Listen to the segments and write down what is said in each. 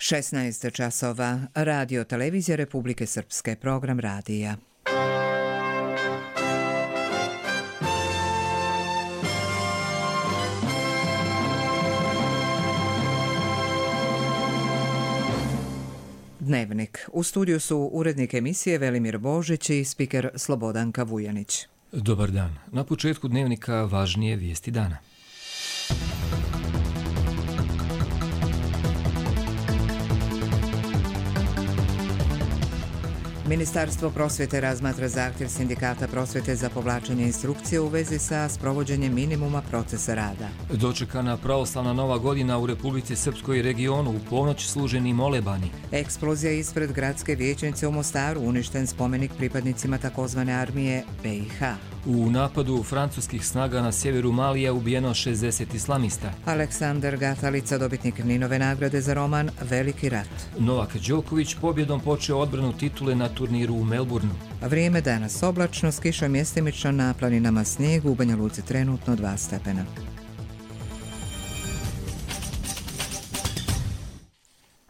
16 časova. Radio Televizija Republike Srpske. Program radija. Dnevnik. U studiju su urednik emisije Velimir Božić i spiker Slobodanka Vujanić. Dobar dan. Na početku dnevnika važnije vijesti dana. Ministarstvo prosvjete razmatra zahtjev Sindikata prosvjete za povlačenje instrukcije u vezi sa sprovođenjem minimuma procesa rada. Dočekana pravoslavna nova godina u Republici Srpskoj i regionu, u ponoć služeni molebani. Eksplozija ispred gradske vijećnice u Mostaru, uništen spomenik pripadnicima takozvane armije BiH. U napadu francuskih snaga na sjeveru Malija ubijeno 60 islamista. Aleksandar Gatalica, dobitnik Ninove nagrade za roman Veliki rat. Novak Đoković pobjedom počeo odbranu titule na turniru u Melbourneu. Vrijeme danas oblačno, s kišom mjestimično, na planinama snijegu, u Banja Luci trenutno 2 stepena.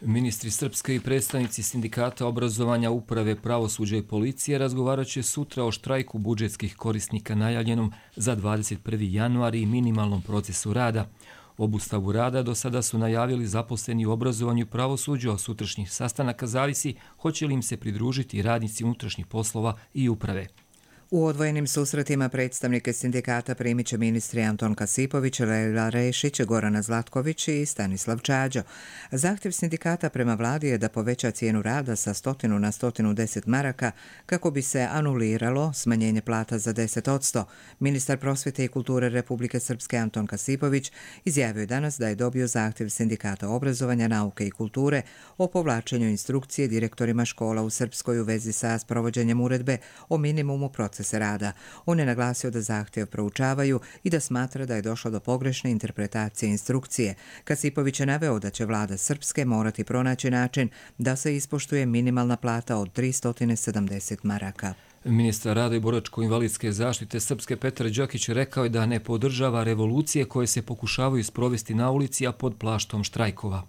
Ministri Srpske i predstavnici Sindikata obrazovanja, uprave, pravosuđa i policije razgovarat će sutra o štrajku budžetskih korisnika najavljenom za 21. januar i minimalnom procesu rada. Obustavu rada do sada su najavili zaposleni u obrazovanju i pravosuđu, a od sutrašnjih sastanaka zavisi hoće li im se pridružiti radnici unutrašnjih poslova i uprave. U odvojenim susretima predstavnike sindikata primit će ministri Anton Kasipović, Lejla Rešić, Gorana Zlatković i Stanislav Čađo. Zahtjev sindikata prema vladi je da poveća cijenu rada sa 100 na 110 maraka kako bi se anuliralo smanjenje plata za 10%. Ministar prosvjete i kulture Republike Srpske Anton Kasipović izjavio je danas da je dobio zahtjev sindikata obrazovanja, nauke i kulture o povlačenju instrukcije direktorima škola u Srpskoj u vezi sa sprovođenjem uredbe o minimumu procesa rada. On je naglasio da zahtjev proučavaju i da smatra da je došlo do pogrešne interpretacije instrukcije. Kasipović je naveo da će vlada Srpske morati pronaći način da se ispoštuje minimalna plata od 370 maraka. Ministar rada i boračko-invalidske zaštite Srpske Petar Đokić rekao je da ne podržava revolucije koje se pokušavaju sprovesti na ulici, a pod plaštom štrajkova.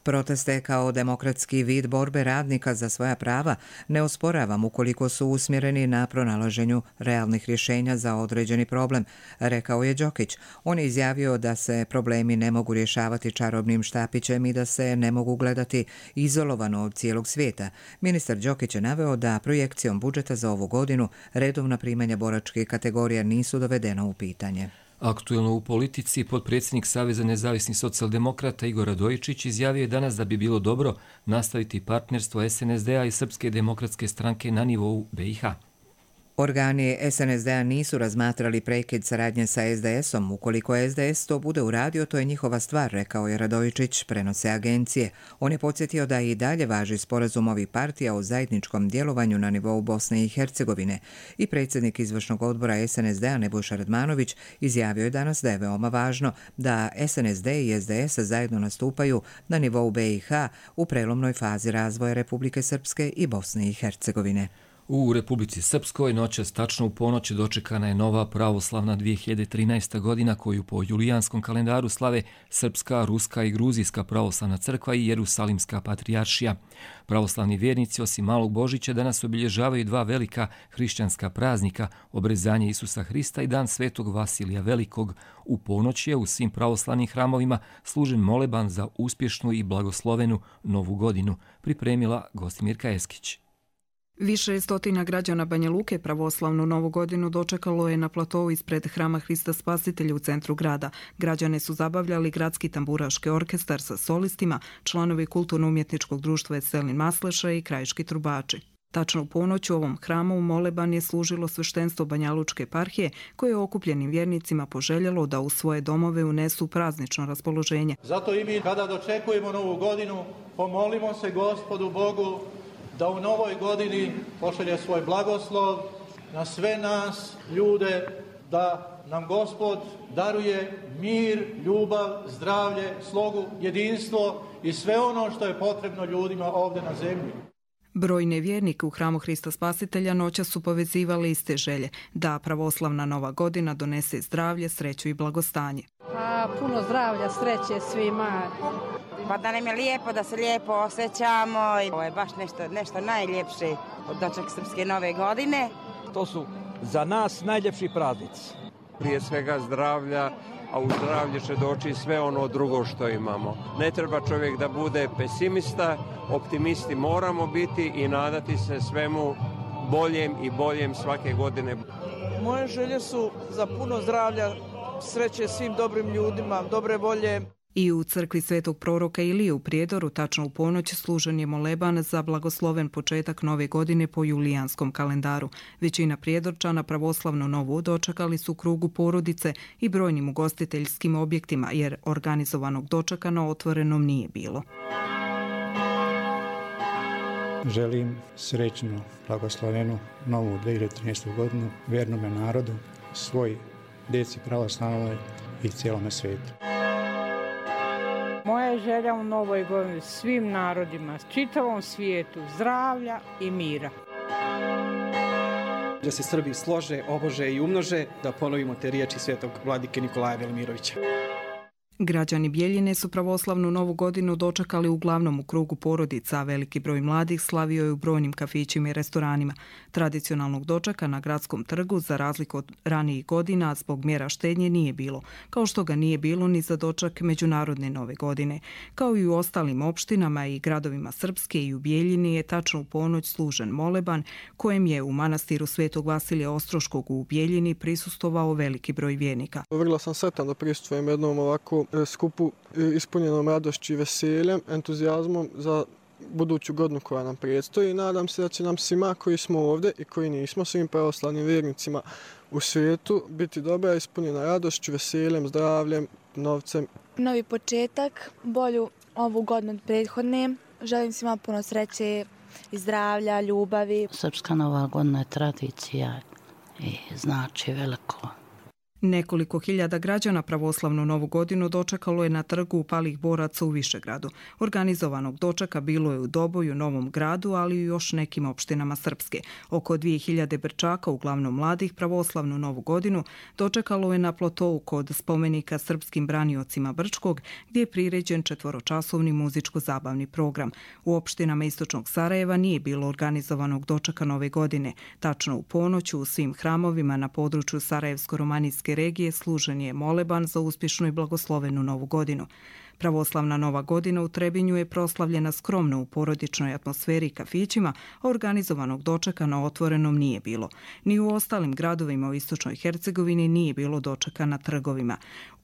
Proteste kao demokratski vid borbe radnika za svoja prava ne osporavam ukoliko su usmjereni na pronalaženju realnih rješenja za određeni problem, rekao je Đokić. On je izjavio da se problemi ne mogu rješavati čarobnim štapićem i da se ne mogu gledati izolovano od cijelog svijeta. Ministar Đokić je naveo da projekcijom budžeta za ovu godinu redovna primanja boračkih kategorija nisu dovedena u pitanje. Aktuelno u politici, potpredsjednik Saveza nezavisnih socijaldemokrata Igor Radojičić izjavio je danas da bi bilo dobro nastaviti partnerstvo SNSD-a i Srpske demokratske stranke na nivou BiH. Organi SNSD-a nisu razmatrali prekid saradnje sa SDS-om. Ukoliko SDS to bude uradio, to je njihova stvar, rekao je Radojičić, prenose agencije. On je podsjetio da i dalje važi sporazum ovih partija o zajedničkom djelovanju na nivou Bosne i Hercegovine. I predsjednik izvršnog odbora SNSD-a Nebojša Radmanović izjavio je danas da je veoma važno da SNSD i SDS zajedno nastupaju na nivou BiH u prelomnoj fazi razvoja Republike Srpske i Bosne i Hercegovine. U Republici Srpskoj noćas tačno u ponoć dočekana je nova pravoslavna 2013. godina koju po julijanskom kalendaru slave Srpska, Ruska i Gruzijska pravoslavna crkva i Jerusalimska patrijaršija. Pravoslavni vjernici osim Malog Božića danas obilježavaju 2 velika hrišćanska praznika, obrezanje Isusa Hrista i dan Svetog Vasilija Velikog. U ponoć je u svim pravoslavnim hramovima služen moleban za uspješnu i blagoslovenu novu godinu, pripremila Gostimirka Eskić. Više stotina građana Banja Luke pravoslavnu novu godinu dočekalo je na platovu ispred Hrama Hrista Spasitelja u centru grada. Građane su zabavljali gradski tamburaški orkestar sa solistima, članovi kulturno-umjetničkog društva Veselin Masleša i krajiški trubači. Tačno u ponoć u ovom hramu moleban je služilo sveštenstvo Banjalučke eparhije koje je okupljenim vjernicima poželjelo da u svoje domove unesu praznično raspoloženje. Zato i mi kada dočekujemo novu godinu pomolimo se Gospodu Bogu da u novoj godini pošalje svoj blagoslov na sve nas, ljude, da nam Gospod daruje mir, ljubav, zdravlje, slogu, jedinstvo i sve ono što je potrebno ljudima ovdje na zemlji. Brojne vjernike u Hramu Hrista Spasitelja noćas su povezivali iste želje, da pravoslavna nova godina donese zdravlje, sreću i blagostanje. Puno zdravlja, sreće svima, Pa da nam je lijepo, da se lijepo osjećamo. Ovo je baš nešto najljepše od doček Srpske nove godine. To su za nas najljepši praznici. Prije svega zdravlja, a u zdravlje će doći sve ono drugo što imamo. Ne treba čovjek da bude pesimista, optimisti moramo biti i nadati se svemu boljem i boljem svake godine. Moje želje su za puno zdravlja, sreće svim dobrim ljudima, dobre volje. I u crkvi Svetog proroka Ilije u Prijedoru tačno u ponoć služen je moleban za blagosloven početak nove godine po julijanskom kalendaru. Većina Prijedorčana pravoslavnu novu dočekali su u krugu porodice i brojnim ugostiteljskim objektima, jer organizovanog dočeka na otvorenom nije bilo. Želim srećnu, blagoslovenu novu 2013. godinu vernome narodu, svoj djeci pravoslavnoj i cijelome svijetu. Moja želja u novoj godini svim narodima, čitavom svijetu, zdravlja i mira. Da se Srbi slože, obože i umnože, da ponovimo te riječi svetog vladike Nikolaja Velimirovića. Građani Bjeljine su pravoslavnu novu godinu dočekali uglavnom u krugu porodica, a veliki broj mladih slavio je u brojnim kafićima i restoranima. Tradicionalnog dočeka na gradskom trgu, za razliku od ranijih godina, zbog mjera štednje nije bilo, kao što ga nije bilo ni za doček međunarodne nove godine. Kao i u ostalim opštinama i gradovima Srpske i u Bjeljini je tačno u ponoć služen moleban, kojem je u manastiru Svetog Vasilija Ostroškog u Bjeljini prisustvovao veliki broj vjernika. Vrlo sam sretan da prisustvujem jednom ovako skupu ispunjenom radošću i veseljem, entuzijazmom za buduću godinu koja nam predstoji. Nadam se da će nam svima koji smo ovdje i koji nismo, svim pravoslavnim vjernicima u svijetu, biti dobra, ispunjena radošću, veseljem, zdravljem, novcem. Novi početak, bolju ovu godinu od prethodne. Želim svima puno sreće i zdravlja, ljubavi. Srpska nova godina je tradicija i znači veliko. Nekoliko hiljada građana pravoslavnu novu godinu dočekalo je na trgu Palih boraca u Višegradu. Organizovanog dočeka bilo je u Doboju, Novom Gradu, ali i u još nekim opštinama Srpske. Oko 2000 Brčaka, uglavnom mladih, pravoslavnu novu godinu dočekalo je na Plotou kod spomenika srpskim braniocima Brčkog, gdje je priređen 4-časovni muzičko-zabavni program. U opštinama istočnog Sarajeva nije bilo organizovanog dočeka nove godine. Tačno u ponoć u svim hramovima na području Sarajevsko-romanijske regije služen je moleban za uspješnu i blagoslovenu novu godinu. Pravoslavna nova godina u Trebinju je proslavljena skromno u porodičnoj atmosferi i kafićima, a organizovanog dočeka na otvorenom nije bilo. Ni u ostalim gradovima u istočnoj Hercegovini nije bilo dočeka na trgovima.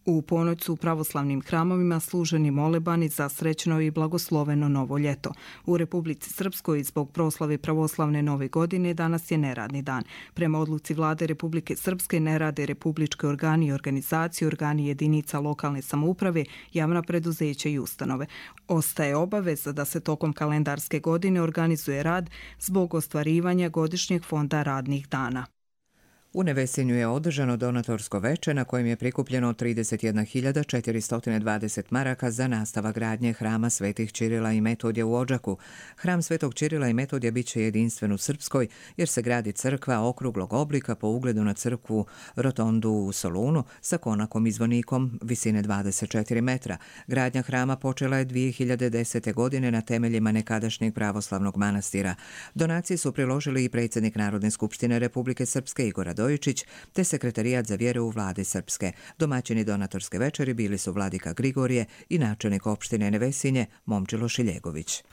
U ponoć su u pravoslavnim hramovima služeni molebani za srećno i blagosloveno novo ljeto. U Republici Srpskoj zbog proslave pravoslavne nove godine danas je neradni dan. Prema odluci vlade Republike Srpske ne rade republički organi i organizacije, organi jedinica lokalne samouprave, javna preduzeća i ustanove. Ostaje obaveza da se tokom kalendarske godine organizuje rad zbog ostvarivanja godišnjeg fonda radnih dana. U Nevesinju je održano donatorsko veče na kojem je prikupljeno 31.420 maraka za nastavak gradnje hrama Svetih Čirila i Metodija u Odžaku. Hram Svetog Čirila i Metodija bit će jedinstven u Srpskoj jer se gradi crkva okruglog oblika po ugledu na crkvu Rotondu u Solunu sa konakom i zvonikom visine 24 metra. Gradnja hrama počela je 2010. godine na temeljima nekadašnjeg pravoslavnog manastira. Donacije su priložili i predsjednik Narodne skupštine Republike Srpske Igor Radojičić te sekretarijat za vjeru u vladi Srpske. Domaćini donatorske večeri bili su vladika Grigorije i načelnik opštine Nevesinje Momčilo Šiljegović.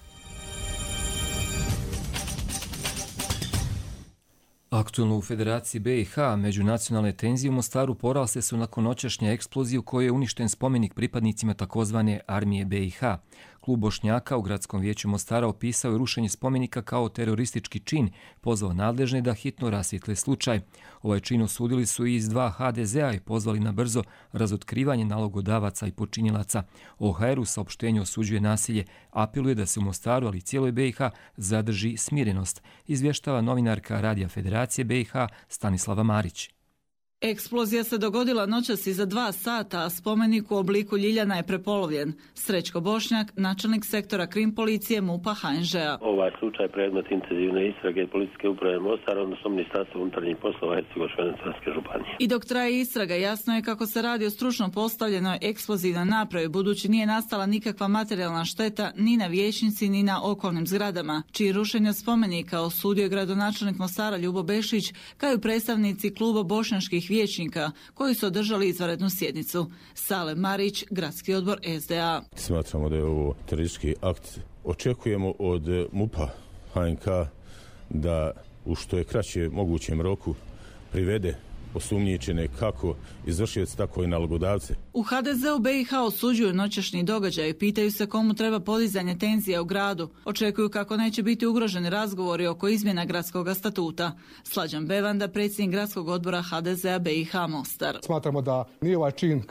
Aktualno u Federaciji BiH međunacionalne tenzije u Mostaru porasle su nakon noćašnje eksplozije u kojoj je uništen spomenik pripadnicima takozvane armije BiH. Klub Bošnjaka u Gradskom vijeću Mostara opisao je rušenje spomenika kao teroristički čin, pozvao nadležne da hitno rasvijetle slučaj. Ovaj čin osudili su i iz 2 HDZ-a i pozvali na brzo razotkrivanje nalogodavaca i počinilaca. OHR u saopštenju osuđuje nasilje, apeluje da se u Mostaru, ali i cijeloj BiH, zadrži smirenost, izvještava novinarka Radija Federacije BiH Stanislava Marić. Eksplozija se dogodila noćas iza 2 sata, a spomenik u obliku ljiljana je prepolovljen. Srećko Bošnjak, načelnik sektora krim policije MUP-a HNŽ-a. Ovaj slučaj predmet intenzivne istrage policijske uprave Mostar, odnosno Ministarstva unutarnjih poslova Hercegovačko-neretvanske županije. I dok traje istraga, jasno je kako se radi o stručno postavljenoj eksplozivnoj napravi, budući nije nastala nikakva materijalna šteta ni na vijećnici ni na okolnim zgradama, čiji rušenje spomenika osudio je gradonačelnik Mostara Ljubo Bešić, kao i predstavnici kluba bošnjačkih vijećnika koji su održali izvanrednu sjednicu. Salem Marić, gradski odbor SDA. Smatramo da je ovo teroristički akt. Očekujemo od MUP-a HNK da u što je kraće mogućem roku privede osumnjičene kako izvršioci, tako i nalogodavce. U HDZ-u BiH osuđuju noćašnji događaj i pitaju se komu treba podizanje tenzija u gradu. Očekuju kako neće biti ugroženi razgovori oko izmjena gradskog statuta. Slađan Bevanda, predsjednik gradskog odbora HDZ-a BiH Mostar. Smatramo da nije ovaj čin,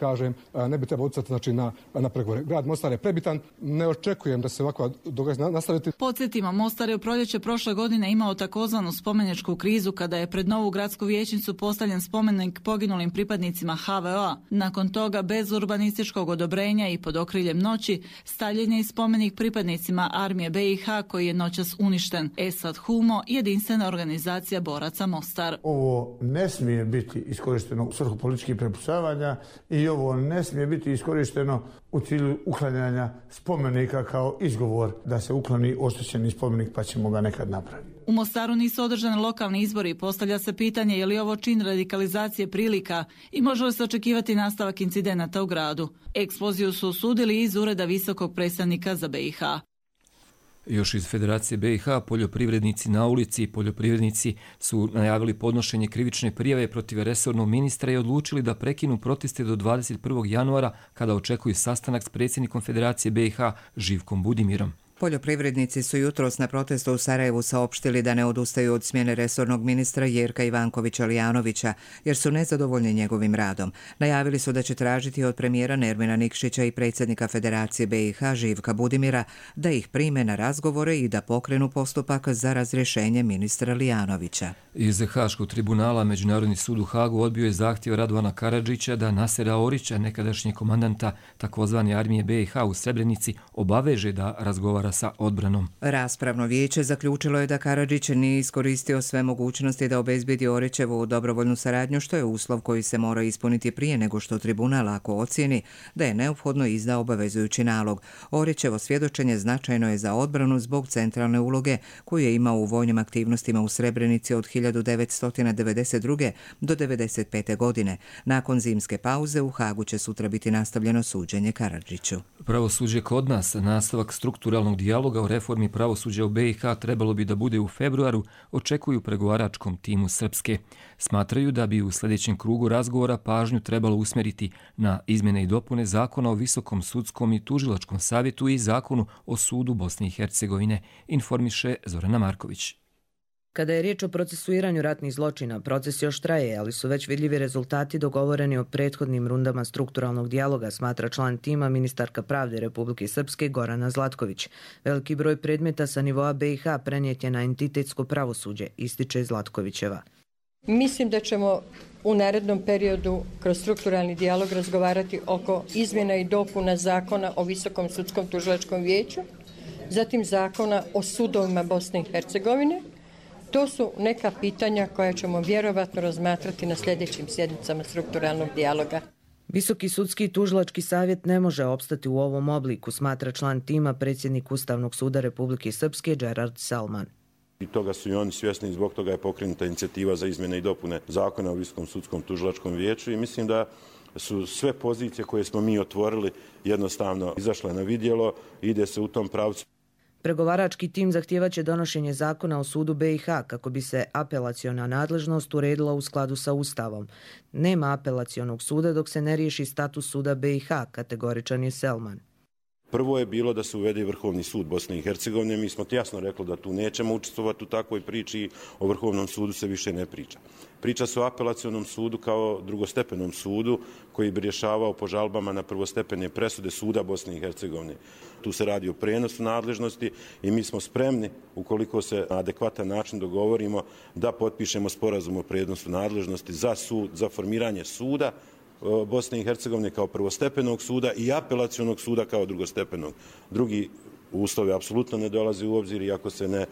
ne bi trebao utjecati na pregovore. Grad Mostar je prebitan, ne očekujem da se ovako događaj nastaviti. Podsjetimo, Mostar je u proljeće prošle godine imao takozvanu spomeničku krizu kada je pred novu gradsku vijećnicu postavljen spomenik poginulim pripadnicima HVO-a. Nakon toga, bez urbanističkog odobrenja i pod okriljem noći, stavljen je i spomenik pripadnicima armije BiH koji je noćas uništen. Esad Humo, jedinstvena organizacija boraca Mostar. Ovo ne smije biti iskorišteno u svrhu političkih prepucavanja i ovo ne smije biti iskorišteno u cilju uklanjanja spomenika kao izgovor da se ukloni oštećeni spomenik pa ćemo ga nekad napraviti. U Mostaru nisu održani lokalni izbori i postavlja se pitanje je li ovo čin radikalizacije prilika i može li se očekivati nastavak incidenata u gradu. Eksploziju su osudili iz ureda visokog predstavnika za BiH. Još iz Federacije BiH poljoprivrednici na ulici i poljoprivrednici su najavili podnošenje krivične prijave protiv resornog ministra i odlučili da prekinu proteste do 21. januara kada očekuju sastanak s predsjednikom Federacije BiH Živkom Budimirom. Poljoprivrednici su jutros na protestu u Sarajevu saopštili da ne odustaju od smjene resornog ministra Jerka Ivankovića-Lijanovića, jer su nezadovoljni njegovim radom. Najavili su da će tražiti od premijera Nermina Nikšića i predsjednika Federacije BiH Živka Budimira da ih prime na razgovore i da pokrenu postupak za razrješenje ministra Lijanovića. Iz Haškog tribunala Međunarodni sud u Hagu odbio je zahtjev Radovana Karadžića da Nasera Orića, nekadašnjeg komandanta takozvane armije BiH u Srebrenici, obaveže da razgovara sa odbranom. Raspravno vijeće zaključilo je da Karadžić nije iskoristio sve mogućnosti da obezbedi Orićevu dobrovoljnu saradnju, što je uslov koji se mora ispuniti prije nego što tribunal ako ocijeni da je neophodno izda obavezujući nalog. Orićevo svjedočenje značajno je za odbranu zbog centralne uloge koju je imao u vojnim aktivnostima u Srebrenici od 1992. do 1995. godine. Nakon zimske pauze u Hagu će sutra biti nastavljeno suđenje Karadžiću. Pravosuđe kod nas, nastavak strukturalnog dijaloga o reformi pravosuđa u BiH trebalo bi da bude u februaru, očekuju u pregovaračkom timu Srpske. Smatraju da bi u sljedećem krugu razgovora pažnju trebalo usmjeriti na izmjene i dopune Zakona o Visokom sudskom i tužilačkom savjetu i Zakonu o sudu Bosne i Hercegovine, informiše Zorana Marković. Kada je riječ o procesuiranju ratnih zločina, proces još traje, ali su već vidljivi rezultati dogovoreni o prethodnim rundama strukturalnog dijaloga, smatra član tima ministarka pravde Republike Srpske Gorana Zlatković. Veliki broj predmeta sa nivoa BiH prenijet je na entitetsko pravosuđe, ističe Zlatkovićeva. Mislim da ćemo u narednom periodu kroz strukturalni dijalog razgovarati oko izmjena i dopuna Zakona o Visokom sudskom tužilačkom vijeću, zatim Zakona o sudovima Bosne i Hercegovine. To su neka pitanja koja ćemo vjerovatno razmatrati na sljedećim sjednicama strukturalnog dijaloga. Visoki sudski i tužilački savjet ne može opstati u ovom obliku, smatra član tima predsjednik Ustavnog suda Republike Srpske Gerard Salman. I toga su i oni svjesni i zbog toga je pokrenuta inicijativa za izmjene i dopune Zakona o Visokom sudskom tužilačkom vijeću i mislim da su sve pozicije koje smo mi otvorili jednostavno izašle na vidjelo i ide se u tom pravcu. Pregovarački tim zahtijevaće donošenje zakona o sudu BiH kako bi se apelaciona nadležnost uredila u skladu sa Ustavom. Nema apelacionog suda dok se ne riješi status suda BiH, kategoričan je Selman. Prvo je bilo da se uvede Vrhovni sud Bosne i Hercegovine. Mi smo jasno rekli da tu nećemo učestvovati u takvoj priči i o Vrhovnom sudu se više ne priča. Priča se o apelacionom sudu kao drugostepenom sudu koji bi rješavao po žalbama na prvostepene presude suda Bosne i Hercegovine. Tu se radi o prenosu nadležnosti i mi smo spremni, ukoliko se na adekvatan način dogovorimo, da potpišemo sporazum o prenosu nadležnosti za sud, za formiranje suda Bosne i Hercegovine kao prvostepenog suda i apelacionog suda kao drugostepenog. Drugi uslovi apsolutno ne dolaze u obzir i ako se ne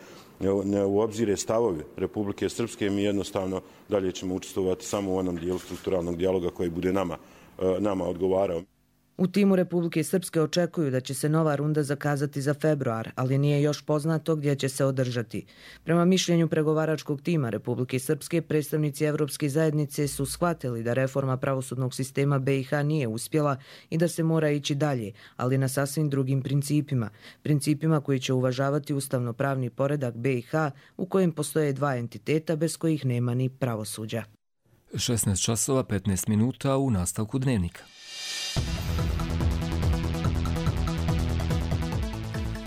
u obzire stavovi Republike Srpske, mi jednostavno dalje ćemo učestvovati samo u onom dijelu strukturalnog dijaloga koji bude nama odgovarao. U timu Republike Srpske očekuju da će se nova runda zakazati za februar, ali nije još poznato gdje će se održati. Prema mišljenju pregovaračkog tima Republike Srpske, predstavnici Evropske zajednice su shvatili da reforma pravosudnog sistema BiH nije uspjela i da se mora ići dalje, ali na sasvim drugim principima. Principima koji će uvažavati ustavno-pravni poredak BiH u kojem postoje dva entiteta bez kojih nema ni pravosuđa. 16 časova 15 minuta u nastavku dnevnika.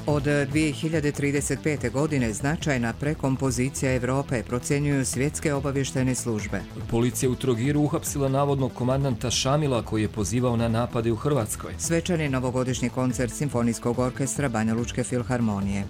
Od 2035. godine značajna prekompozicija Evrope, procjenjuju svjetske obavještajne službe. Policija u Trogiru uhapsila navodnog komandanta Šamila koji je pozivao na napade u Hrvatskoj. Svečani novogodišnji koncert Simfonijskog orkestra Banja Lučke filharmonije.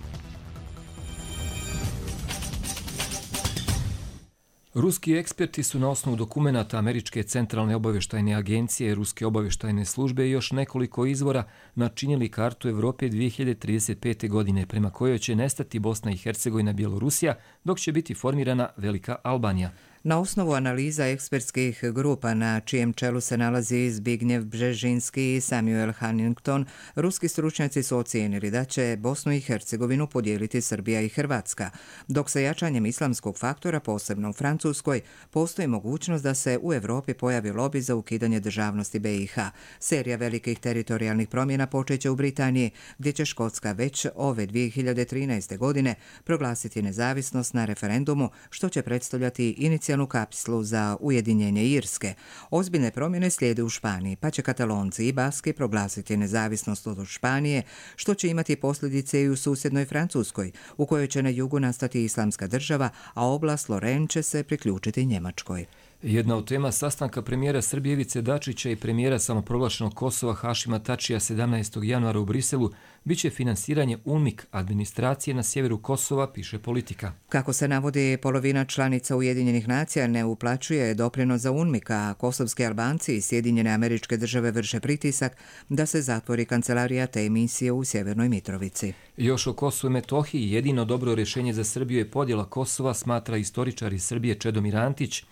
Ruski eksperti su na osnovu dokumenata Američke centralne obavještajne agencije, Ruske obavještajne službe i još nekoliko izvora načinili kartu Evrope 2035. godine prema kojoj će nestati Bosna i Hercegovina, Bjelorusija, dok će biti formirana Velika Albanija. Na osnovu analiza ekspertskih grupa na čijem čelu se nalazi Zbignjev Bžežinski i Samuel Huntington, ruski stručnjaci su ocijenili da će Bosnu i Hercegovinu podijeliti Srbija i Hrvatska, dok sa jačanjem islamskog faktora, posebno u Francuskoj, postoji mogućnost da se u Evropi pojavi lobi za ukidanje državnosti BiH. Serija velikih teritorijalnih promjena počeće u Britaniji, gdje će Škotska već ove 2013. godine proglasiti nezavisnost na referendumu, što će predstavljati inicijalnu kapslu za ujedinjenje Irske. Ozbiljne promjene slijede u Španiji, pa će Katalonci i Baski proglasiti nezavisnost od Španije, što će imati posljedice i u susjednoj Francuskoj, u kojoj će na jugu nastati islamska država, a oblast Lorraine će se priključiti Njemačkoj. Jedna od tema sastanka premijera Srbije Ivice Dačića i premijera samoproglašenog Kosova Hašima Tačija 17. januara u Briselu biće finansiranje UNMIK administracije na sjeveru Kosova, piše Politika. Kako se navodi, polovina članica Ujedinjenih nacija ne uplaćuje doprinos za UNMIK, a kosovski Albanci i Sjedinjene Američke Države vrše pritisak da se zatvori kancelarija te emisije u Sjevernoj Mitrovici. Još o Kosovu i Metohiji jedino dobro rješenje za Srbiju je podjela Kosova, smatra istoričar iz Srbije Čedomir Antić,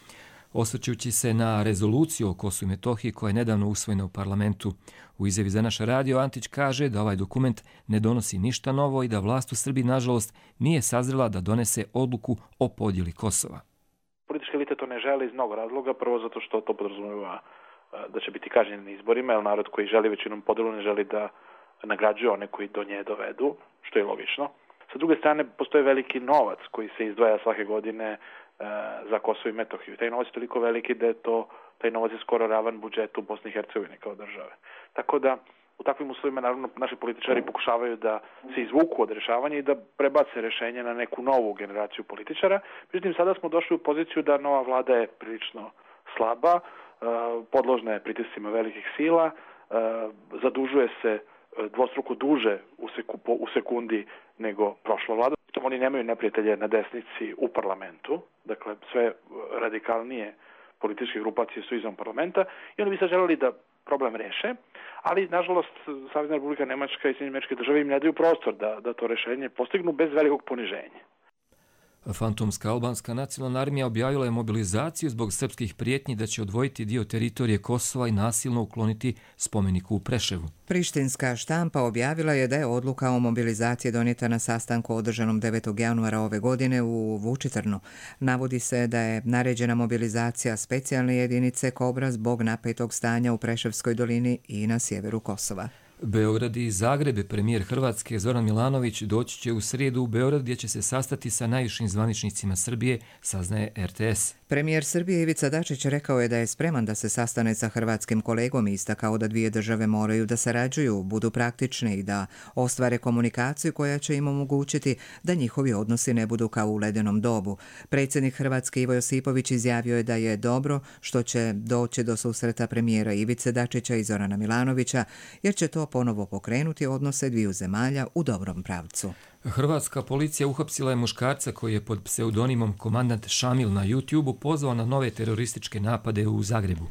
osvrćući se na rezoluciju o Kosovu i Metohiji koja je nedavno usvojena u parlamentu. U izjavi za naš radio Antić kaže da ovaj dokument ne donosi ništa novo i da vlast u Srbiji, nažalost, nije sazrela da donese odluku o podjeli Kosova. Politička elita to ne želi iz mnogo razloga. Prvo zato što to podrazumijeva da će biti kažnjeni na izborima, jer narod koji želi većinom podjelu ne želi da nagrađuje one koji do nje dovedu, što je logično. Sa druge strane, postoji veliki novac koji se izdvaja svake godine za Kosovo i Metohiju. Taj novac je toliko veliki da je taj novac je skoro ravan budžetu Bosne i Hercegovine kao države. Tako da u takvim uslovima naravno naši političari pokušavaju da se izvuku od rješavanja i da prebace rješenje na neku novu generaciju političara. Međutim, sada smo došli u poziciju da nova vlada je prilično slaba, podložna je pritiscima velikih sila, zadužuje se dvostruko duže u sekundi nego prošla vlada. Oni nemaju neprijatelje na desnici u parlamentu, dakle sve radikalnije političke grupacije su izvan parlamenta i oni bi se želeli da problem reše, ali nažalost Savezna Republika Nemačka i Sjedinjene Američke Države im ne daju prostor da to rešenje postignu bez velikog poniženja. Fantomska albanska nacionalna armija objavila je mobilizaciju zbog srpskih prijetnji da će odvojiti dio teritorije Kosova i nasilno ukloniti spomeniku u Preševu. Prištinska štampa objavila je da je odluka o mobilizaciji donijeta na sastanku održanom 9. januara ove godine u Vučitrnu. Navodi se da je naređena mobilizacija specijalne jedinice Kobra zbog napetog stanja u Preševskoj dolini i na sjeveru Kosova. Beograd i Zagreb, premijer Hrvatske Zoran Milanović doći će u srijedu u Beograd gdje će se sastati sa najvišim zvaničnicima Srbije, saznaje RTS. Premijer Srbije Ivica Dačić rekao je da je spreman da se sastane sa hrvatskim kolegom i istakao da dvije države moraju da sarađuju, budu praktične i da ostvare komunikaciju koja će im omogućiti da njihovi odnosi ne budu kao u ledenom dobu. Predsjednik Hrvatske Ivo Josipović izjavio je da je dobro što će doći do susreta premijera Ivice Dačića i Zorana Milanovića, jer će to ponovo pokrenuti odnose dviju zemalja u dobrom pravcu. Hrvatska policija uhapsila je muškarca koji je pod pseudonimom Komandant Šamil na YouTube-u pozvao na nove terorističke napade u Zagrebu.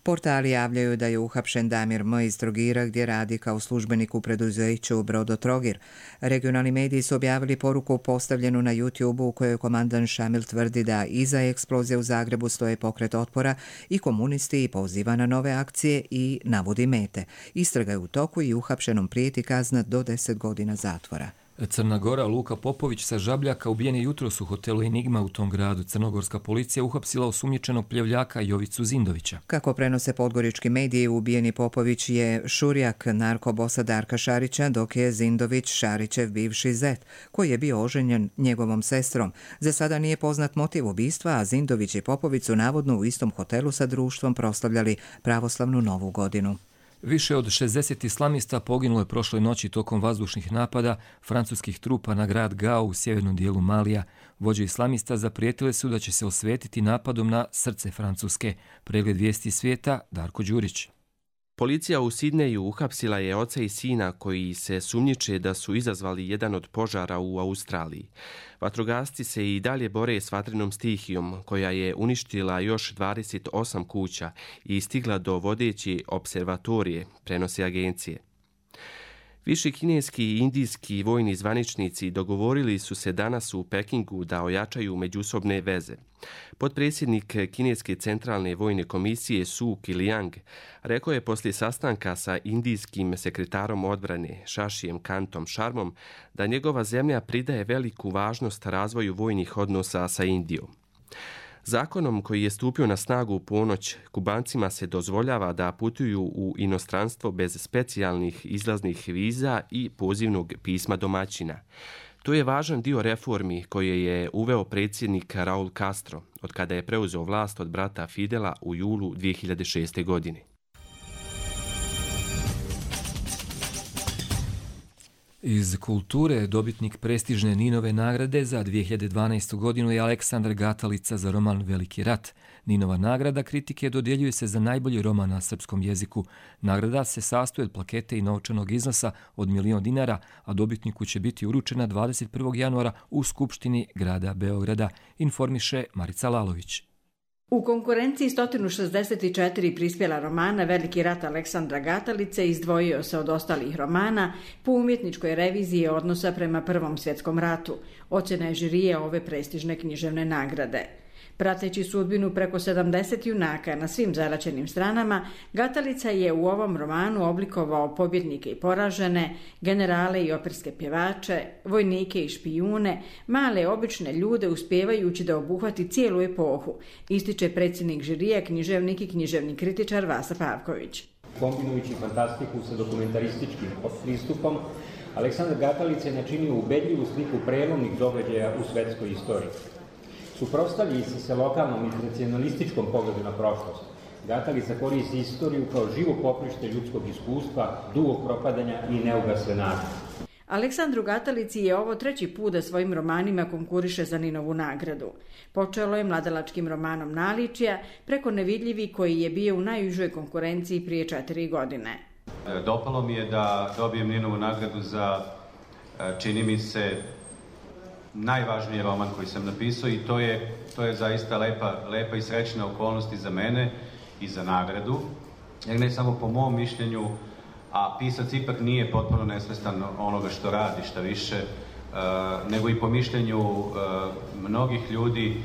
Portali javljaju da je uhapšen Damir M. iz Trogira gdje radi kao službenik u preduzeću Brodotrogir. Regionalni mediji su objavili poruku postavljenu na YouTube-u u kojoj komandant Šamil tvrdi da iza eksplozije u Zagrebu stoje pokret otpora i komunisti i poziva na nove akcije i navodi mete. Istraga je u toku i uhapšenom prijeti kazna do 10 godina zatvora. Crna Gora, Luka Popović sa Žabljaka ubijen je jutros u hotelu Enigma u tom gradu. Crnogorska policija uhapsila osumnjičenog pljevljaka Jovicu Zindovića. Kako prenose podgorički mediji, ubijeni Popović je šurjak narkobosa Darka Šarića, dok je Zindović Šarićev bivši zet, koji je bio oženjen njegovom sestrom. Za sada nije poznat motiv ubistva, a Zindović i Popović su navodno u istom hotelu sa društvom proslavljali pravoslavnu novu godinu. Više od 60 islamista poginulo je prošle noći tokom vazdušnih napada francuskih trupa na grad Gao u sjevernom dijelu Malija. Vođe islamista zaprijetile su da će se osvetiti napadom na srce Francuske. Pregled vijesti svijeta, Darko Đurić. Policija u Sidneju uhapsila je oca i sina koji se sumnjiče da su izazvali jedan od požara u Australiji. Vatrogasci se i dalje bore s vatrenom stihijom koja je uništila još 28 kuća i stigla do vodeće observatorije, prenose agencije. Viši kineski i indijski vojni zvaničnici dogovorili su se danas u Pekingu da ojačaju međusobne veze. Potpredsjednik Kineske centralne vojne komisije Su Kiliang rekao je poslije sastanka sa indijskim sekretarom odbrane Šašijem Kantom Šarmom da njegova zemlja pridaje veliku važnost razvoju vojnih odnosa sa Indijom. Zakonom koji je stupio na snagu u ponoć, Kubancima se dozvoljava da putuju u inostranstvo bez specijalnih izlaznih viza i pozivnog pisma domaćina. To je važan dio reformi koje je uveo predsjednik Raul Castro od kada je preuzeo vlast od brata Fidela u julu 2006. godine. Iz kulture dobitnik prestižne Ninove nagrade za 2012. godinu je Aleksandar Gatalica za roman Veliki rat. Ninova nagrada kritike dodjeljuje se za najbolji roman na srpskom jeziku. Nagrada se sastoji od plakete i novčanog iznosa od 1.000.000 dinara, a dobitniku će biti uručena 21. januara u Skupštini grada Beograda, informiše Marica Lalović. U konkurenciji 164 prispjela romana Veliki rat Aleksandra Gatalice izdvojio se od ostalih romana po umjetničkoj reviziji odnosa prema Prvom svjetskom ratu. Ocjena je žirije ove prestižne književne nagrade. Prateći sudbinu preko 70 junaka na svim zaraćenim stranama, Gatalica je u ovom romanu oblikovao pobjednike i poražene, generale i operske pjevače, vojnike i špijune, male obične ljude uspijevajući da obuhvati cijelu epohu, ističe predsjednik žirije, književnik i književni kritičar Vasa Pavković. Kombinujući fantastiku sa dokumentarističkim pristupom, Aleksandar Gatalica je načinio ubedljivu sliku prelomnih događaja u svetskoj istoriji. Suprotstavljajući se lokalnom i tradicionalističkom pogledu na prošlost, Gatalica koristi istoriju kao živo poprište ljudskog iskustva, dugog propadanja i neugasle nade. Aleksandru Gatalici je ovo treći put da svojim romanima konkuriše za Ninovu nagradu. Počelo je mladalačkim romanom Naličija, preko Nevidljivi koji je bio u najužoj konkurenciji prije 4 godine. Dopalo mi je da dobijem Ninovu nagradu za, čini mi se, najvažniji roman koji sam napisao i to je zaista lepa i srećna okolnost i za mene i za nagradu. Jer ne samo po mom mišljenju, a pisac ipak nije potpuno nesvestan onoga što radi, šta više, nego i po mišljenju mnogih ljudi,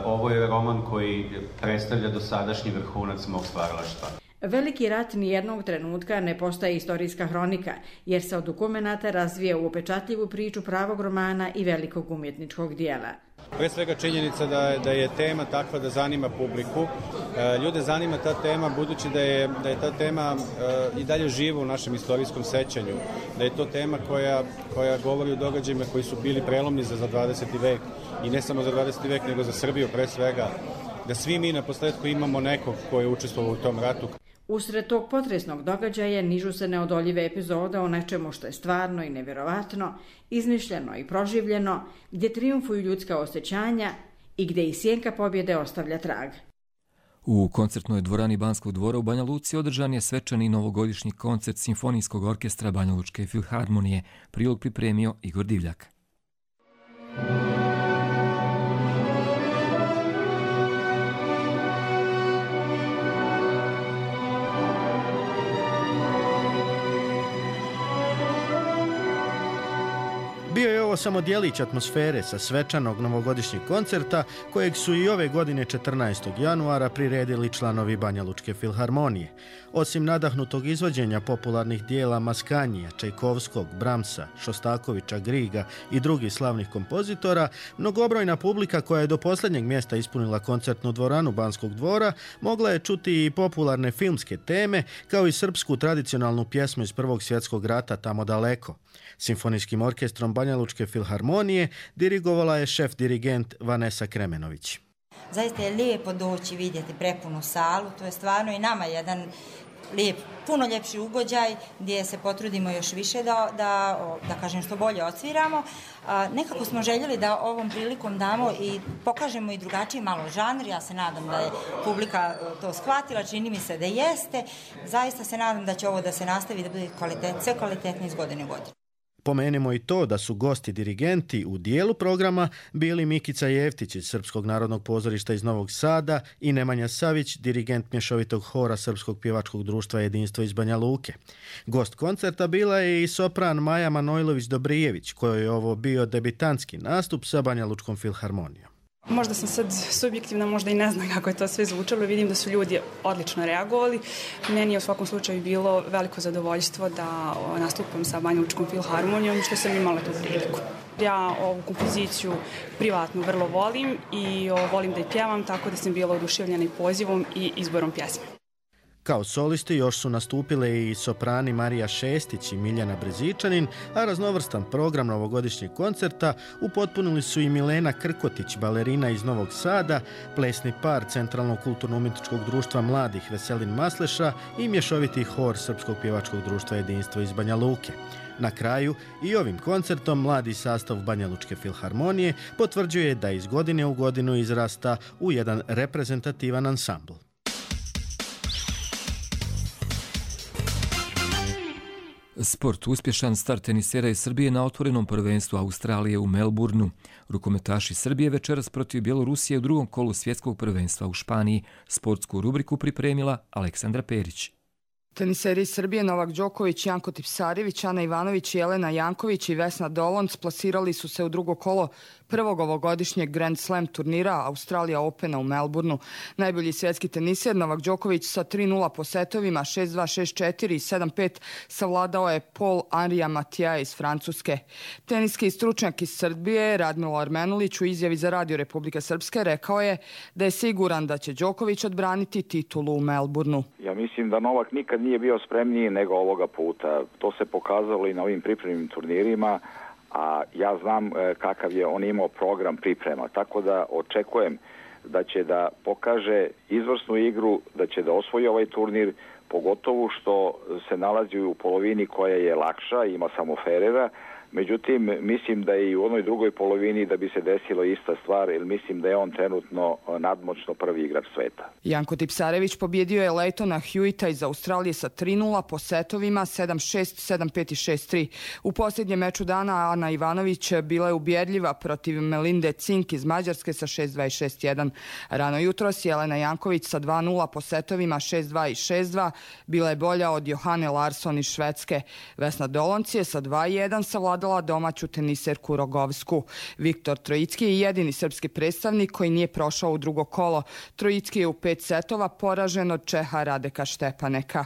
ovo je roman koji predstavlja dosadašnji vrhunac mog stvaralaštva. Veliki rat nijednog trenutka ne postaje istorijska hronika, jer se od dokumenata razvija u upečatljivu priču pravog romana i velikog umjetničkog dijela. Pre svega činjenica da je tema takva da zanima publiku. Ljude zanima ta tema budući da je ta tema i dalje živa u našem istorijskom sećanju. Da je to tema koja govori o događajima koji su bili prelomni za 20. vek i ne samo za 20. vek nego za Srbiju pre svega. da svi mi na posledku imamo nekog ko je učestvovao u tom ratu. Usred tog potresnog događaja nižu se neodoljive epizode o nečemu što je stvarno i nevjerovatno, izmišljeno i proživljeno, gdje trijumfuju ljudska osjećanja i gdje i sjenka pobjede ostavlja trag. U koncertnoj dvorani Banskog dvora u Banja Luci održan je svečani novogodišnji koncert Simfonijskog orkestra Banja Lučke filharmonije. Prilog pripremio Igor Divljak. Bio je ovo samo djelić atmosfere sa svečanog novogodišnjeg koncerta kojeg su i ove godine 14. januara priredili članovi Banja Lučke filharmonije. Osim nadahnutog izvođenja popularnih dijela Maskanija, Čajkovskog, Bramsa, Šostakovića, Griga i drugih slavnih kompozitora, mnogobrojna publika koja je do posljednjeg mjesta ispunila koncertnu dvoranu Banskog dvora mogla je čuti i popularne filmske teme kao i srpsku tradicionalnu pjesmu iz Prvog svjetskog rata Tamo daleko. Simfonijskim orkestrom Banja Lučke filharmonije dirigovala je šef dirigent Vanesa Kremenović. Zaista je lijepo doći vidjeti prepunu salu, to je stvarno i nama jedan lijep, puno ljepši ugođaj gdje se potrudimo još više da kažem što bolje odsviramo. Nekako smo željeli da ovom prilikom damo i pokažemo i drugačiji malo žanr. Ja se nadam da je publika to shvatila, čini mi se da jeste. Zaista se nadam da će ovo da se nastavi da bude sve kvalitetno iz godine u godinu. Pomenimo i to da su gosti dirigenti u dijelu programa bili Mikica Jeftić iz Srpskog narodnog pozorišta iz Novog Sada i Nemanja Savić, dirigent mješovitog hora Srpskog pjevačkog društva Jedinstvo iz Banja Luke. Gost koncerta bila je i sopran Maja Manojlović-Dobrijević, kojoj je ovo bio debitantski nastup sa Banja Lučkom filharmonijom. Možda sam sad subjektivna, možda i ne znam kako je to sve zvučalo. Vidim da su ljudi odlično reagovali. Meni je u svakom slučaju bilo veliko zadovoljstvo da nastupam sa Banja Lučkom filharmonijom, što sam imala tu priliku. Ja ovu kompoziciju privatno vrlo volim i volim da je pjevam, tako da sam bila oduševljena i pozivom i izborom pjesme. Kao solisti još su nastupile i soprani Marija Šestić i Miljana Brezičanin, a raznovrstan program novogodišnjeg koncerta upotpunili su i Milena Krkotić, balerina iz Novog Sada, plesni par Centralnog kulturno-umjetničkog društva mladih Veselin Masleša i mješoviti hor Srpskog pjevačkog društva Jedinstvo iz Banja Luke. Na kraju i ovim koncertom mladi sastav Banja Lučke filharmonije potvrđuje da iz godine u godinu izrasta u jedan reprezentativan ansambl. Sport. Uspješan start tenisera iz Srbije na otvorenom prvenstvu Australije u Melbourneu. Rukometaši Srbije večeras protiv Bjelorusije u drugom kolu svjetskog prvenstva u Španiji. Sportsku rubriku pripremila Aleksandra Perić. Teniseri iz Srbije Novak Đoković, Janko Tipsarević, Ana Ivanović, Jelena Janković i Vesna Dolonc plasirali su se u drugo kolo prvog ovogodišnjeg Grand Slam turnira Australija Opena u Melbourneu. Najbolji svjetski teniser Novak Đoković sa 3-0 po setovima 6-2, 6-4 i 7-5 savladao je Paul Henrija Matija iz Francuske. Teniski stručnjak iz Srbije Radmilo Armenulić u izjavi za Radio Republike Srpske rekao je da je siguran da će Đoković odbraniti titulu u Melbourneu. Ja mislim da Novak nikad nije bio spremniji nego ovoga puta. To se pokazalo i na ovim pripremnim turnirima, a ja znam kakav je on imao program priprema, tako da očekujem da će da pokaže izvrsnu igru, da će da osvoji ovaj turnir, pogotovo što se nalazi u polovini koja je lakša, ima samo Ferrera. Međutim, mislim da i u onoj drugoj polovini da bi se desilo ista stvar, jer mislim da je on trenutno nadmoćno prvi igrač sveta. Janko Tipsarević pobjedio je Leitona Hewita iz Australije sa 3-0 po setovima 7-6, 7-5 i 6-3. U posljednjem meču dana Ana Ivanović bila je ubjedljiva protiv Melinde Cink iz Mađarske sa 6-2 i 6-1. Rano jutros Jelena Janković sa 2-0 po setovima 6-2 i 6-2 bila je bolja od Johane Larsson iz Švedske. Vesna Dolonc je sa 2-1 savladala domaću teniserku Rogovsku. Viktor Trojicki je jedini srpski predstavnik koji nije prošao u drugo kolo. Trojicki je u 5 setova poražen od Čeha Radeka Štepaneka.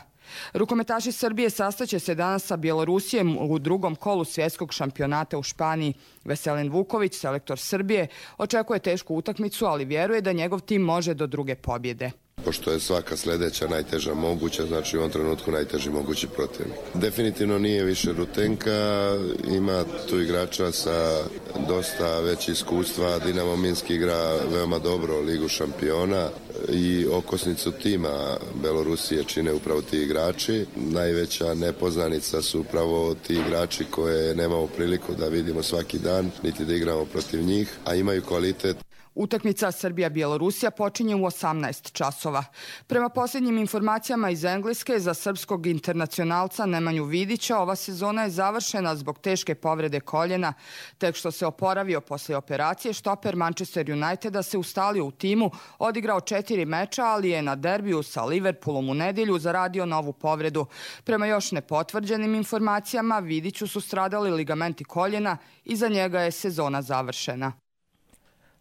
Rukometaši Srbije sastaće se danas sa Bjelorusijem u drugom kolu svjetskog šampionata u Španiji. Veselin Vuković, selektor Srbije, očekuje tešku utakmicu, ali vjeruje da njegov tim može do druge pobjede. pošto je svaka sljedeća najteža moguća, znači u ovom trenutku najteži mogući protivnik. Definitivno nije više Rutenka, ima tu igrača sa dosta već iskustva. Dinamo Minsk igra veoma dobro Ligu šampiona i okosnicu tima Belorusije čine upravo ti igrači. Najveća nepoznanica su upravo ti igrači koje nemamo priliku da vidimo svaki dan, niti da igramo protiv njih, a imaju kvalitet. Utakmica Srbija-Bjelorusija počinje u 18 časova. Prema posljednjim informacijama iz Engleske, za srpskog internacionalca Nemanju Vidića ova sezona je završena zbog teške povrede koljena. Tek što se oporavio poslije operacije, štoper Manchester Uniteda se ustalio u timu, odigrao 4 meča, ali je na derbiju sa Liverpoolom u nedjelju zaradio novu povredu. Prema još nepotvrđenim informacijama, Vidiću su stradali ligamenti koljena i za njega je sezona završena.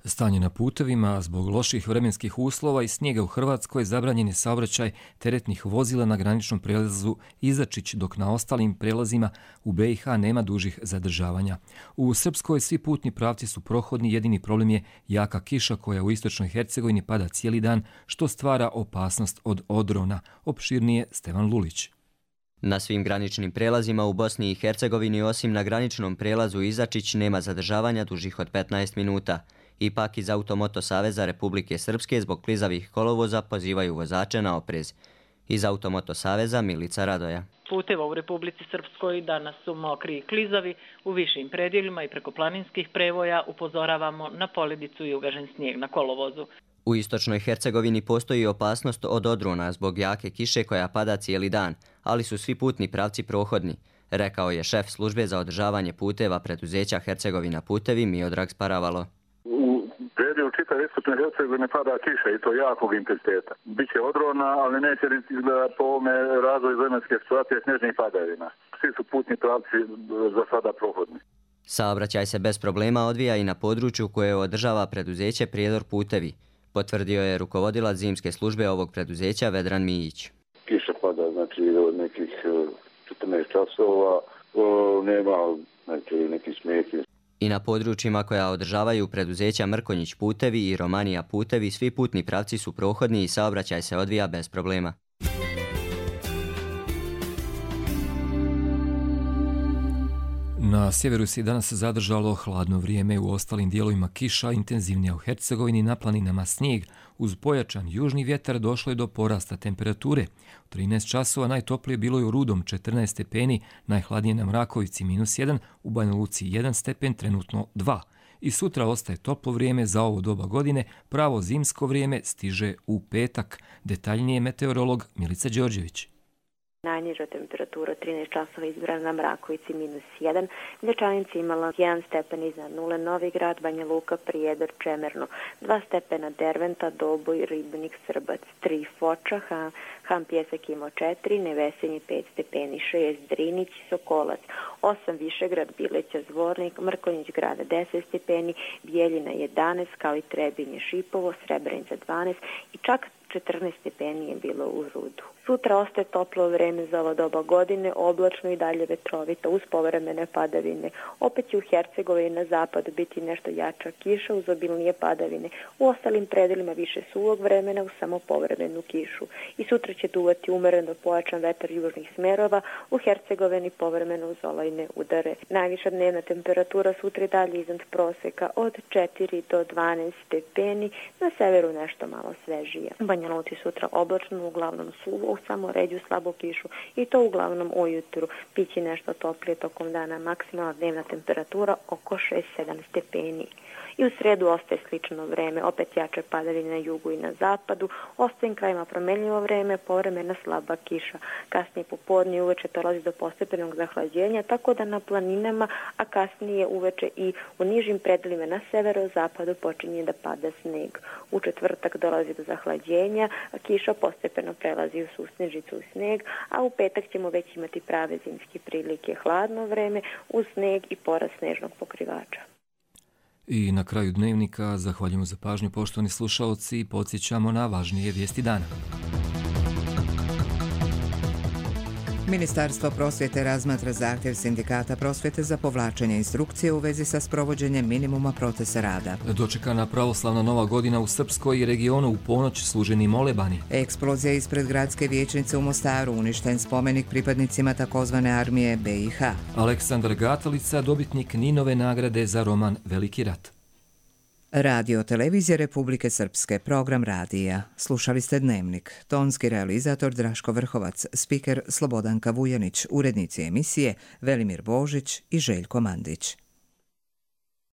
Stanje na putevima, zbog loših vremenskih uslova i snijega u Hrvatskoj zabranjen je saobraćaj teretnih vozila na graničnom prelazu Izačić, dok na ostalim prelazima u BiH nema dužih zadržavanja. U Srpskoj svi putni pravci su prohodni, jedini problem je jaka kiša koja u istočnoj Hercegovini pada cijeli dan, što stvara opasnost od odrona. Opširnije Stevan Lulić. Na svim graničnim prelazima u Bosni i Hercegovini, osim na graničnom prelazu Izačić, nema zadržavanja dužih od 15 minuta. Ipak iz Automoto Saveza Republike Srpske zbog klizavih kolovoza pozivaju vozače na oprez. Iz Automoto Saveza Milica Radoja. Puteva u Republici Srpskoj danas su mokri i klizavi, u višim predjelima i preko planinskih prevoja upozoravamo na poledicu i ugažen snijeg na kolovozu. U istočnoj Hercegovini postoji opasnost od odrona zbog jake kiše koja pada cijeli dan, ali su svi putni pravci prohodni, rekao je šef službe za održavanje puteva preduzeća Hercegovina Putevi Miodrag Sparavalo. U čitavoj istočnoj Hercegovini pada kiša i to jakog intenziteta. Biće odrona, ali neće izgledati po ovome razvoju vremenske situacije snježnih padavina. Svi su putni pravci za sada prohodni. Saobraćaj se bez problema odvija i na području koje održava preduzeće Prijedor Putevi, potvrdio je rukovodilac zimske službe ovog preduzeća Vedran Mijić. Kiša pada znači od nekih 14 časova, nema neki smijeki. I na područjima koja održavaju preduzeća Mrkonjić Putevi i Romanija Putevi svi putni pravci su prohodni i saobraćaj se odvija bez problema. Na sjeveru se danas zadržalo hladno vrijeme, u ostalim dijelovima kiša, intenzivnija u Hercegovini, na planinama snijeg. Uz pojačan južni vjetar došlo je do porasta temperature. U 13 časova najtoplije bilo je u Rudom 14 stepeni, najhladnije na Mrakovici -1, u Banja Luci 1 stepen, trenutno 2. I sutra ostaje toplo vrijeme za ovo doba godine, pravo zimsko vrijeme stiže u petak. Detaljnije meteorolog Milica Đorđević. Najniža temperatura 13 časova izbrana na Mrakovici -1, Mlječanica imala 1 stepen iznad nule, Novi Grad, Banja Luka, Prijedor, Čemerno, 2 stepena Derventa, Doboj, Ribnik, Srbac, 3 Foča, Han Pjesak imao 4, Nevesenje 5 stepeni, 6 Drinić, Sokolac, 8 Višegrad, Bileća, Zvornik, Mrkonjić Grada 10 stepeni, Bijeljina 11, kao i Trebinje, Šipovo, Srebrenica 12 i čak 14 stepeni je bilo u Rudu. Sutra ostaje toplo vreme za ovo doba godine, oblačno i dalje vetrovito uz povremene padavine. Opet će u Hercegovini na zapadu biti nešto jača kiša uz obilnije padavine. U ostalim predelima više suvog vremena uz samo povremenu kišu. I sutra će duvati umereno pojačan vetar južnih smerova, u Hercegovini povremeno uz olujne udare. Najviša dnevna temperatura sutra je dalje iznad proseka od 4 do 12 stepeni, na severu nešto malo svežije. Banja Luci sutra oblačno, uglavnom suvo, samo ređu slabu kišu i to uglavnom ujutru. Biće nešto toplije tokom dana, maksimalna dnevna temperatura oko 6-7 stepeni. I u sredu ostaje slično vreme, opet jače padavine na jugu i na zapadu, ostajem krajima promenljivo vreme, povremena slaba kiša. Kasnije popodne i uveče dolazi do postepenog zahlađenja, tako da na planinama, a kasnije uveče i u nižim predelima na severozapadu počinje da pada sneg. U četvrtak dolazi do zahlađenja, a kiša postepeno prelazi u susnežicu u sneg, a u petak ćemo već imati prave zimske prilike, hladno vreme uz sneg i porast snežnog pokrivača. I na kraju dnevnika zahvaljujemo za pažnju, poštovani slušaoci, i podsjećamo na važnije vijesti dana. Ministarstvo prosvjete razmatra zahtjev sindikata prosvjete za povlačenje instrukcije u vezi sa sprovođenjem minimuma procesa rada. Dočekana pravoslavna nova godina u Srpskoj i regionu u ponoć služeni molebani. Eksplozija ispred gradske vijećnice u Mostaru, uništen spomenik pripadnicima takozvane armije BiH. Aleksandar Gatalica, dobitnik Ninove nagrade za roman Veliki rat. Radio televizije Republike Srpske, program radija. Slušali ste Dnevnik. Tonski realizator Draško Vrhovac, spiker Slobodanka Vujanić, urednici emisije Velimir Božić i Željko Mandić.